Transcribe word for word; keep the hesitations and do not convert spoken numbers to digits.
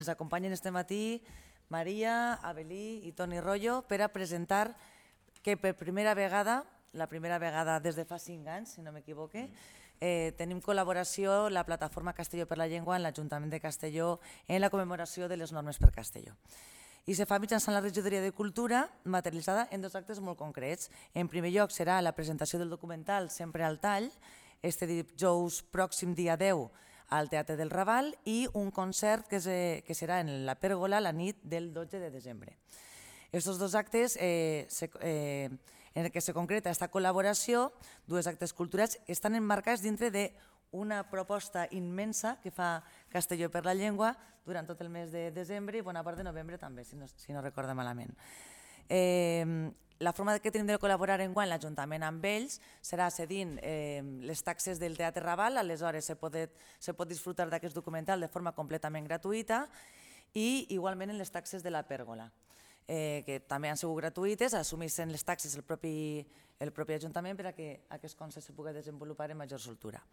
ens acompanyen este matí Maria, Avelí i Toni Rollo per a presentar que per primera vegada, la primera vegada des de fa cinc anys, si no m'equivoque, eh, tenim col·laboració la plataforma Castelló per la Llengua en l'Ajuntament de Castelló en la commemoració de les normes per Castelló. I se fa mitjançant la regidoria de Cultura, materialitzada en dos actes molt concrets. En primer lloc serà la presentació del documental Sempre al tall, este dijous pròxim dia deu al Teatre del Raval, i un concert que, se, que serà en la Pèrgola la nit del dotze de desembre. Estos dos actes eh, se, eh, en el que se concreta aquesta col·laboració, dos actes culturals, estan emmarcats dintre d'una proposta immensa que fa Castelló per la Llengua durant tot el mes de desembre i bona part de novembre també, si no, si no recordo malament. Eh, la forma que tenim de col·laborar enguany l'Ajuntament amb ells serà cedint eh, les taxes del Teatre Raval, aleshores se pot, se pot disfrutar d'aquest documental de forma completament gratuïta, i igualment en les taxes de la Pèrgola, eh, que també han sigut gratuïtes, assumeixen les taxes el propi, el propi Ajuntament per a que aquest concert se pugui desenvolupar en major soltura.